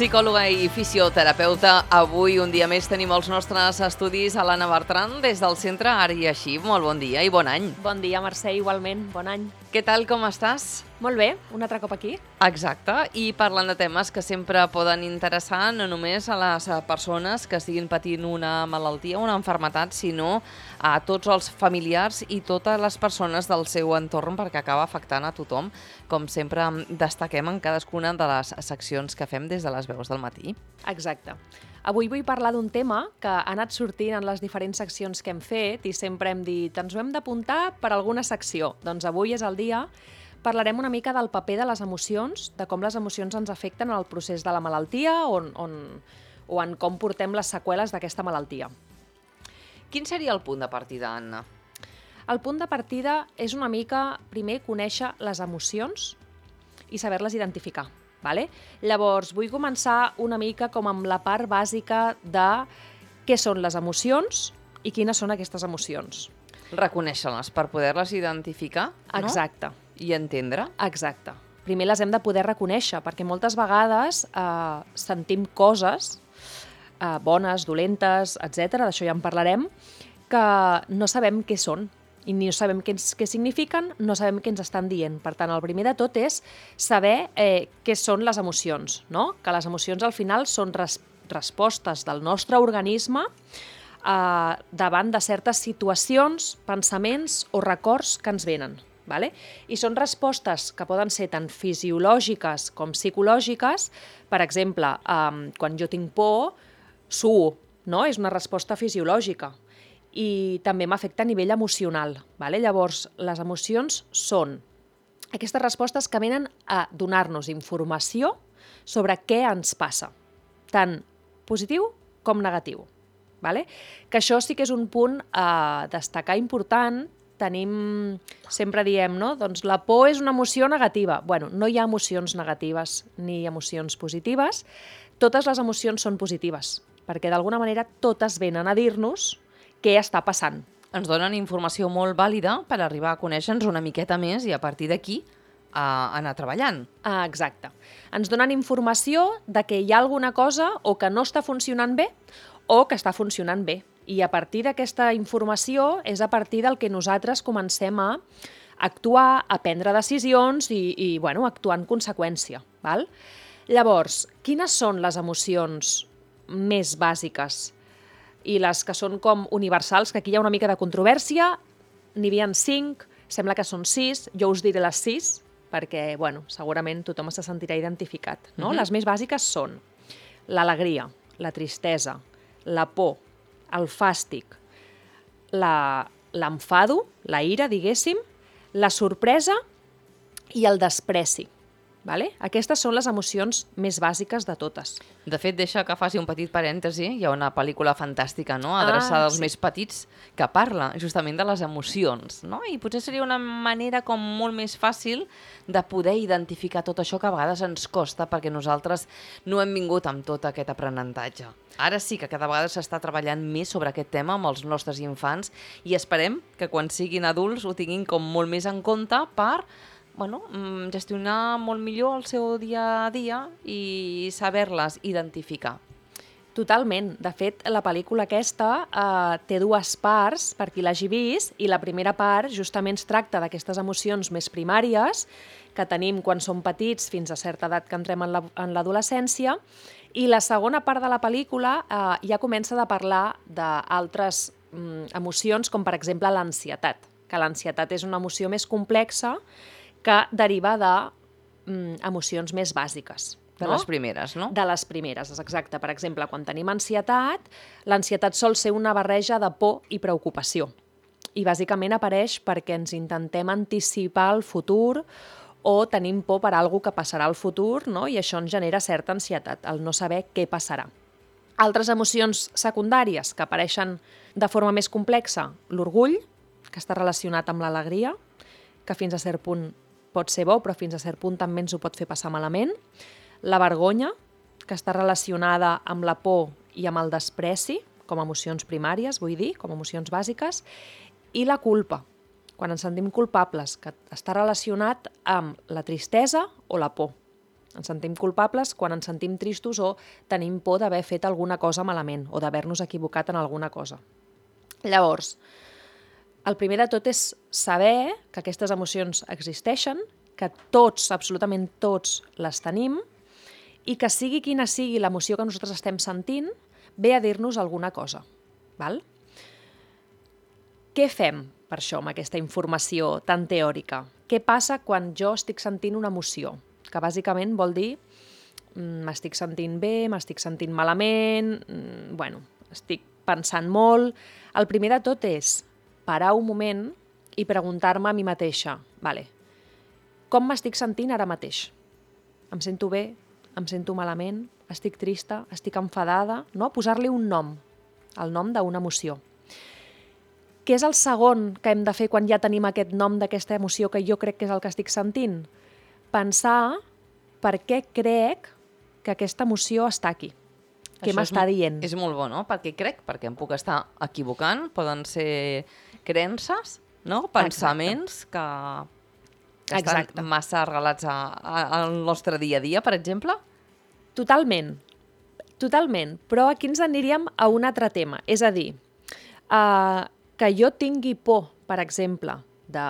psicòloga i fisioterapeuta. Avui, un dia més, tenim els nostres estudis a l'Anna Bertran des del centre Art i Així. Molt bon dia i bon any. Bon dia, Mercè, igualment. Bon any. Què tal, com estàs? Molt bé, un altre cop aquí. Exacte, i parlant de temes que sempre poden interessar no només a les persones que estiguin patint una malaltia, una malaltia, sinó a tots els familiars i totes les persones del seu entorn, perquè acaba afectant a tothom, com sempre destaquem en cadascuna de les seccions que fem des de les veus del matí. Exacte. Avui vull parlar d'un tema que ha anat sortint en les diferents seccions que hem fet i sempre hem dit, ens ho hem d'apuntar per alguna secció. Doncs avui és el dia. Parlarem una mica del paper de les emocions, de com les emocions ens afecten en el procés de la malaltia o en com portem les seqüeles d'aquesta malaltia. Quin seria el punt de partida, Anna? El punt de partida és una mica, primer, conèixer les emocions i saber-les identificar. Vale? Llavors, vull començar una mica com amb la part bàsica de què són les emocions i quines són aquestes emocions. Reconèixer-les per poder-les identificar, no? Exacte. I entendre. Exacte. Primer les hem de poder reconèixer, perquè moltes vegades sentim coses bones, dolentes, etc. D'això ja en parlarem, que no sabem què són. I no sabem què signifiquen, no sabem què ens estan dient. Per tant, el primer de tot és saber què són les emocions, no? Que les emocions al final són respostes del nostre organisme davant de certes situacions, pensaments o records que ens venen. Vale? I són respostes que poden ser tant fisiològiques com psicològiques. Per exemple, quan jo tinc por, suo, no? És una resposta fisiològica. I també m'afecta a nivell emocional. Vale? Llavors, les emocions són aquestes respostes que venen a donar-nos informació sobre què ens passa, tant positiu com negatiu. Vale? Que això sí que és un punt a destacar important. Sempre diem, no? Doncs la por és una emoció negativa. Bueno, no hi ha emocions negatives ni emocions positives. Totes les emocions són positives, perquè d'alguna manera totes venen a dir-nos què està passant. Ens donen informació molt vàlida per arribar a conèixer-nos una miqueta més i a partir d'aquí anar treballant. Exacte. Ens donen informació de que hi ha alguna cosa o que no està funcionant bé o que està funcionant bé. I a partir d'aquesta informació és a partir del que nosaltres comencem a actuar, a prendre decisions i actuar en conseqüència. Val? Llavors, quines són les emocions més bàsiques i les que són com universals, que aquí hi ha una mica de controvèrsia? N'hi havia 5, sembla que són 6, jo us diré les 6, perquè segurament tothom se sentirà identificat. No? Les més bàsiques són l'alegria, la tristesa, la por, el fàstic, l'enfado, la ira, diguéssim, la sorpresa i el despreci. Vale? Aquestes són les emocions més bàsiques de totes. De fet, deixa que faci un petit parèntesi. Hi ha una pel·lícula fantàstica, no? Adreçada als més petits, que parla justament de les emocions, no? I potser seria una manera com molt més fàcil de poder identificar tot això que a vegades ens costa perquè nosaltres no hem vingut amb tot aquest aprenentatge. Ara sí que cada vegada s'està treballant més sobre aquest tema amb els nostres infants i esperem que quan siguin adults ho tinguin com molt més en compte per gestionar molt millor el seu dia a dia i saber-les identificar. Totalment. De fet, la pel·lícula aquesta té 2 parts, per qui l'hagi vist, i la primera part justament es tracta d'aquestes emocions més primàries que tenim quan som petits fins a certa edat que entrem en l'adolescència, i la segona part de la pel·lícula ja comença a parlar d'altres emocions, com per exemple l'ansietat, que l'ansietat és una emoció més complexa que deriva d'emocions més bàsiques. De les primeres, no? De les primeres, exacte. Per exemple, quan tenim ansietat, l'ansietat sol ser una barreja de por i preocupació. I bàsicament apareix perquè ens intentem anticipar el futur o tenim por per alguna que passarà al futur, no? I això ens genera certa ansietat, el no saber què passarà. Altres emocions secundàries que apareixen de forma més complexa, l'orgull, que està relacionat amb l'alegria, que fins a cert punt pot ser bo, però fins a cert punt també ens ho pot fer passar malament. La vergonya, que està relacionada amb la por i amb el despreci, com a emocions primàries, vull dir, com a emocions bàsiques. I la culpa, quan ens sentim culpables, que està relacionat amb la tristesa o la por. Ens sentim culpables quan ens sentim tristos o tenim por d'haver fet alguna cosa malament o d'haver-nos equivocat en alguna cosa. Llavors, el primer de tot és saber que aquestes emocions existeixen, que tots, absolutament tots, les tenim i que sigui quina sigui l'emoció que nosaltres estem sentint, ve a dir-nos alguna cosa. Val? Què fem per això amb aquesta informació tan teòrica? Què passa quan jo estic sentint una emoció? Que bàsicament vol dir m'estic sentint bé, m'estic sentint malament, estic pensant molt. El primer de tot és parar un moment i preguntar-me a mi mateixa, com m'estic sentint ara mateix? Em sento bé? Em sento malament? Estic trista? Estic enfadada? No? Posar-li un nom, el nom d'una emoció. Què és el segon que hem de fer quan ja tenim aquest nom d'aquesta emoció que jo crec que és el que estic sentint? Pensar per què crec que aquesta emoció està aquí. Què m'està dient? És molt bo, no? Perquè em puc estar equivocant, poden ser creences, no? Pensaments que estan massa arrelats al nostre dia a dia, per exemple? Totalment, però aquí ens aniríem a un altre tema, és a dir, que jo tingui por, per exemple, de,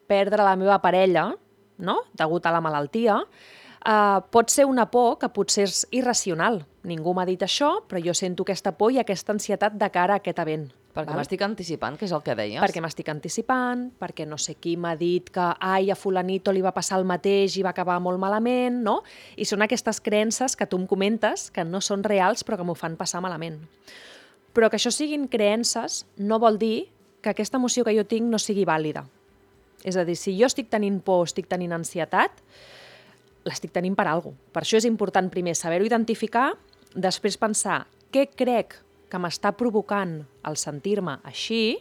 perdre la meva parella, no?, degut a la malaltia, pot ser una por que potser és irracional. Ningú m'ha dit això, però jo sento aquesta por i aquesta ansietat de cara a aquest event. Perquè m'estic anticipant, que és el que deies. Perquè m'estic anticipant, perquè no sé qui m'ha dit que a fulanito li va passar el mateix i va acabar molt malament, no? I són aquestes creences que tu em comentes que no són reals però que m'ho fan passar malament. Però que això siguin creences no vol dir que aquesta emoció que jo tinc no sigui vàlida. És a dir, si jo estic tenint por, estic tenint ansietat, l'estic tenint per alguna cosa. Per això és important primer saber-ho identificar, després pensar què crec que m'està provocant el sentir-me així,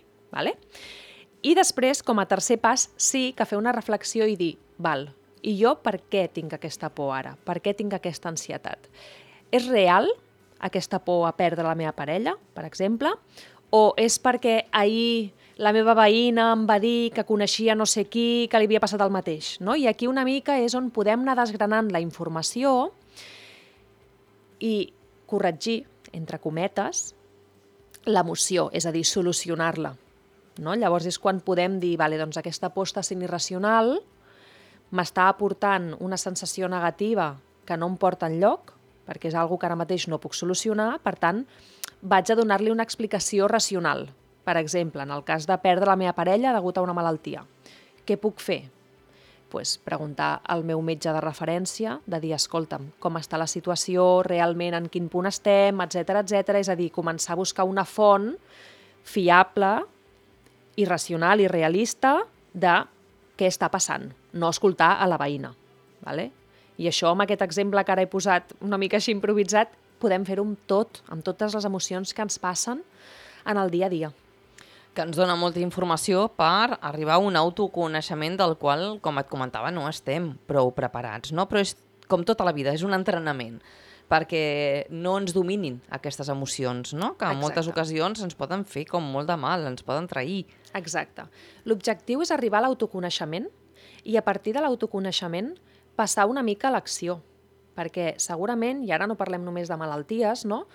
i després, com a tercer pas, sí que fer una reflexió i dir, i jo per què tinc aquesta por ara? Per què tinc aquesta ansietat? És real aquesta por a perdre la meva parella, per exemple? O és perquè ahir la meva veïna em va dir que coneixia no sé qui, que li havia passat el mateix, no? I aquí una mica és on podem anar desgranant la informació i corregir, entre cometes, l'emoció, és a dir, solucionar-la. No? Llavors és quan podem dir, doncs aquesta por està sent irracional, m'està aportant una sensació negativa que no em porta enlloc, perquè és una que ara mateix no puc solucionar, per tant, vaig a donar-li una explicació racional. Per exemple, en el cas de perdre la meva parella degut a una malaltia. Què puc fer? Preguntar al meu metge de referència, de dir, escolta'm, com està la situació, realment en quin punt estem, etc. És a dir, començar a buscar una font fiable, i racional i realista de què està passant, no escoltar a la veïna. I això, amb aquest exemple que ara he posat una mica així improvisat, podem fer-ho amb tot, amb totes les emocions que ens passen en el dia a dia. Que ens dona molta informació per arribar a un autoconeixement del qual, com et comentava, no estem prou preparats, no? Però és com tota la vida, és un entrenament perquè no ens dominin aquestes emocions, no? Que en moltes ocasions ens poden fer com molt de mal, ens poden trair. Exacte. L'objectiu és arribar a l'autoconeixement i a partir de l'autoconeixement passar una mica a l'acció, perquè segurament, i ara no parlem només de malalties, no?,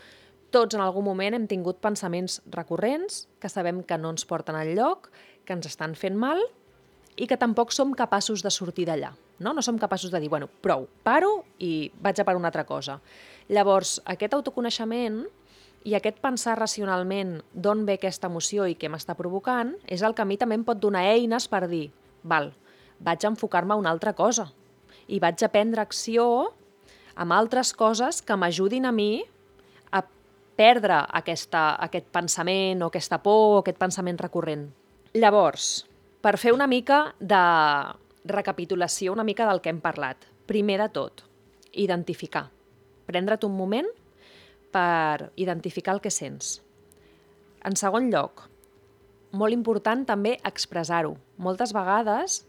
tots en algun moment hem tingut pensaments recurrents que sabem que no ens porten enlloc, que ens estan fent mal i que tampoc som capaços de sortir d'allà. No som capaços de dir, prou, paro i vaig a per una altra cosa. Llavors, aquest autoconeixement i aquest pensar racionalment d'on ve aquesta emoció i què m'està provocant és el que a mi també em pot donar eines per dir, vaig a enfocar-me a una altra cosa i vaig a prendre acció amb altres coses que m'ajudin a mi a perdre aquest pensament o aquesta por o aquest pensament recurrent. Llavors, per fer una mica de recapitulació, una mica del que hem parlat. Primer de tot, identificar. Prendre't un moment per identificar el que sents. En segon lloc, molt important també expressar-ho. Moltes vegades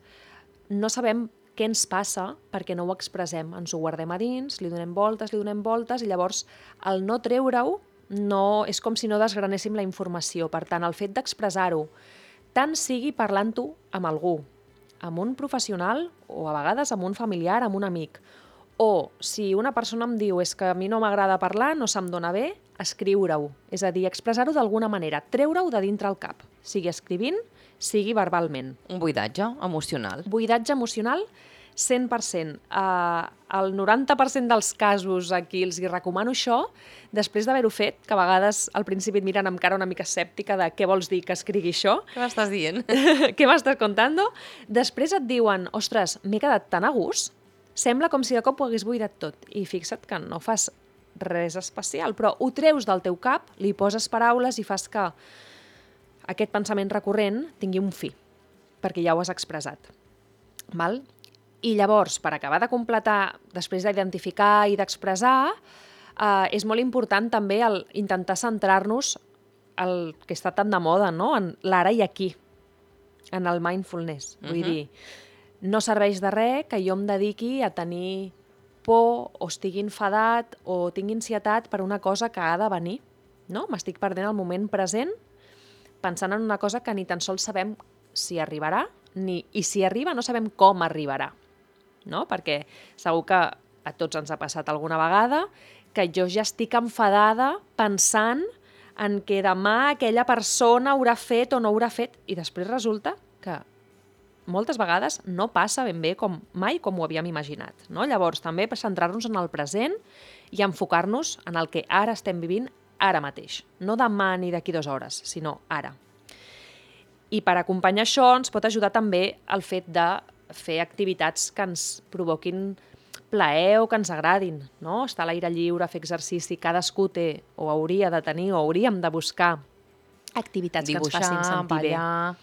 no sabem què ens passa perquè no ho expressem. Ens ho guardem a dins, li donem voltes i llavors el no treure-ho és com si no desgranéssim la informació. Per tant, el fet d'expressar-ho, tant sigui parlant-ho amb algú, amb un professional o a vegades amb un familiar, amb un amic, O, si una persona em diu és que a mi no m'agrada parlar, no se'm dona bé, escriure-ho. És a dir, expressar-ho d'alguna manera, treure-ho de dintre el cap, sigui escrivint, sigui verbalment. Un buidatge emocional. Buidatge emocional, 100%. El 90% dels casos a qui els hi recomano això, després d'haver-ho fet, que a vegades al principi et miren amb cara una mica escèptica de què vols dir que escrigui això, Què m'estàs dient? què m'estàs contando? Després et diuen, ostres, m'he quedat tan a gust, sembla com si de cop ho hagués buidat tot. I fixa't que no fas res especial, però ho treus del teu cap, li poses paraules i fas que aquest pensament recurrent tingui un fi, perquè ja ho has expressat. Val? I llavors, per acabar de completar, després d'identificar i d'expressar, és molt important també intentar centrar-nos el que està tan de moda, no? En l'ara i aquí, en el mindfulness. Vull dir, no serveix de res que jo em dediqui a tenir por o estigui enfadat o tingui ansietat per una cosa que ha de venir. No? M'estic perdent el moment present pensant en una cosa que ni tan sols sabem si arribarà, i si arriba no sabem com arribarà. No? Perquè segur que a tots ens ha passat alguna vegada que jo ja estic enfadada pensant en que demà aquella persona haurà fet o no haurà fet, i després resulta que moltes vegades no passa ben bé mai com ho havíem imaginat. No? Llavors, també centrar-nos en el present i enfocar-nos en el que ara estem vivint ara mateix. No demà ni d'aquí 2 hores, sinó ara. I per acompanyar això ens pot ajudar també el fet de fer activitats que ens provoquin plaer o que ens agradin. No? Estar a l'aire lliure, fer exercici, cadascú té o hauria de tenir o hauríem de buscar activitats Dibuixar, que ens facin sentir bé. ballar,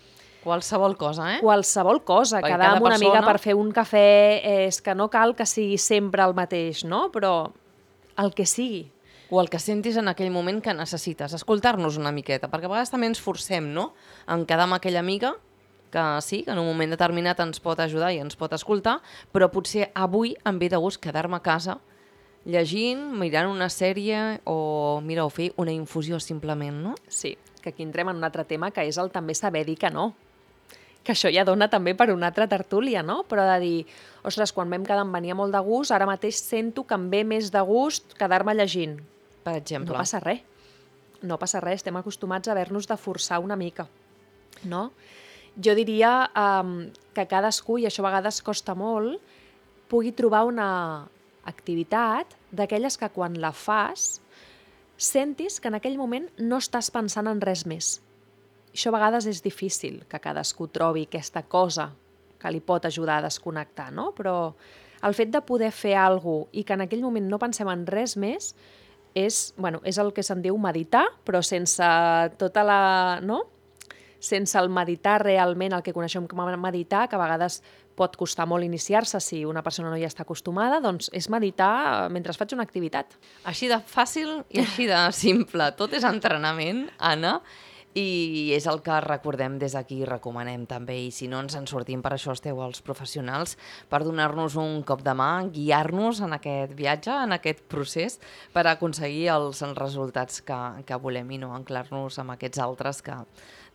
qualsevol cosa, Qualsevol cosa, perquè quedar cada amb una amiga persona- per fer un cafè, és que no cal que sigui sempre el mateix, no? Però el que sigui. O el que sentis en aquell moment que necessites, escoltar-nos una miqueta, perquè a vegades també ens forcem, no?, en quedar amb aquella amiga que sí, que en un moment determinat ens pot ajudar i ens pot escoltar, però potser avui em ve de gust quedar-me a casa llegint, mirant una sèrie o, mira, o fer una infusió simplement, no? Sí, que aquí entrem en un altre tema, que és el també saber dir que no. Que això ja dona també per una altra tertúlia, no? Però de dir, ostres, quan vam quedar em venia molt de gust, ara mateix sento que em ve més de gust quedar-me llegint. Per exemple. No passa res. No passa res, estem acostumats a haver-nos de forçar una mica. No? Jo diria que cadascú, i això a vegades costa molt, pugui trobar una activitat d'aquelles que quan la fas sentis que en aquell moment no estàs pensant en res més. Això a vegades és difícil, que cadascú trobi aquesta cosa que li pot ajudar a desconnectar, no? Però el fet de poder fer alguna cosa i que en aquell moment no pensem en res més és el que se'n diu meditar, però sense tota la... no? Sense el meditar realment, el que coneixem com a meditar, que a vegades pot costar molt iniciar-se si una persona no hi està acostumada, doncs és meditar mentre faig una activitat. Així de fàcil i així de simple. Tot és entrenament, Anna, i és el que recordem des d'aquí i recomanem també. I si no ens en sortim, per això esteu els professionals, per donar-nos un cop de mà, guiar-nos en aquest viatge, en aquest procés, per aconseguir els resultats que volem i no anclar-nos amb aquests altres que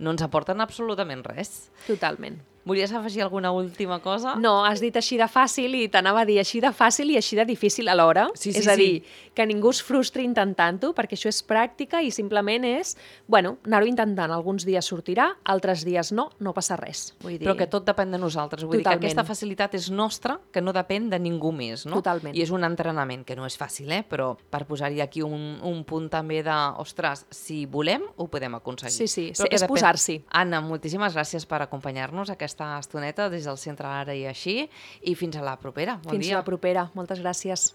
no ens aporten absolutament res. Totalment. Volies afegir alguna última cosa? No, has dit així de fàcil i t'anava a dir així de fàcil i així de difícil alhora. Sí, és a dir, que ningú es frustri intentant-ho, perquè això és pràctica i simplement és, anar-ho intentant. Alguns dies sortirà, altres dies no passa res. Vull dir... Però que tot depèn de nosaltres. Vull dir que aquesta facilitat és nostra, que no depèn de ningú més, no? Totalment. I és un entrenament, que no és fàcil, però per posar-hi aquí un punt també de, ostres, si volem, ho podem aconseguir. Sí, és posar-s'hi. Anna, moltíssimes gràcies per acompanyar-nos aquesta estoneta des del Centre Ara i Així, i fins a la propera. Bon dia. Fins a la propera. Moltes gràcies.